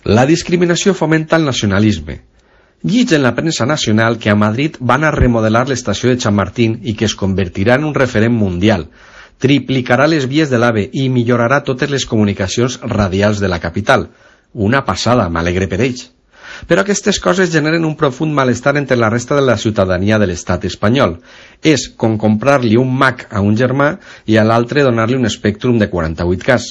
La discriminació fomenta el nacionalisme. Llits en la premsa nacional que a Madrid van a remodelar l'estació de Chamartín i que es convertirà en un referent mundial, triplicarà les vies de l'AVE i millorarà totes les comunicacions radials de la capital. Una passada, m'alegre per ells. Però aquestes coses generen un profund malestar entre la resta de la ciutadania de l'estat espanyol. És com comprar-li un Mac a un germà i a l'altre donar-li un Spectrum de 48K.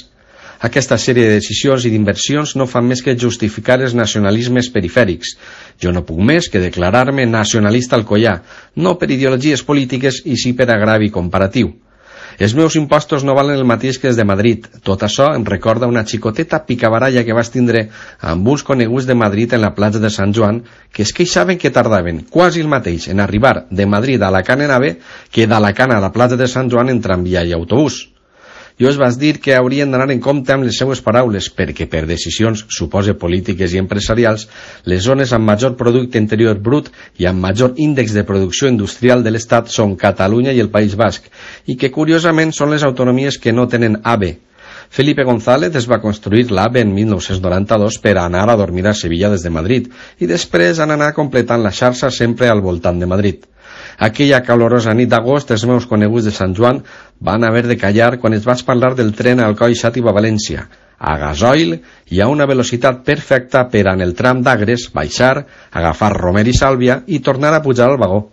Aquesta sèrie de decisions i d'inversions no fan més que justificar els nacionalismes perifèrics. Jo no puc més que declarar-me nacionalista alcoià, no per ideologies polítiques i sí per agravi comparatiu. Els meus impostos no valen el mateix que els de Madrid. Tot això em recorda una xicoteta picabaralla que vaig tindre amb uns coneguts de Madrid en la platja de Sant Joan que es queixaven que tardaven quasi el mateix en arribar de Madrid a Alacant en AVE que d'Alacant a la platja de Sant Joan en tramvia i autobús. Jo els vaig dir que haurien d'anar en compte amb les seues paraules perquè per decisions, supose polítiques i empresarials, les zones amb major producte interior brut i amb major índex de producció industrial de l'Estat són Catalunya i el País Basc i que curiosament són les autonomies que no tenen AVE. Felipe González es va construir l'AVE en 1992 per anar a dormir a Sevilla des de Madrid i després han anat completant la xarxa sempre al voltant de Madrid. Aquella calorosa nit d'agost els meus coneguts de Sant Joan van haver de callar quan es vaig parlar del tren a Alcoi Xàtiva a València, a gasoil i a una velocitat perfecta per en el tram d'Agres baixar, agafar Romer i Sàlvia i tornar a pujar al vagó.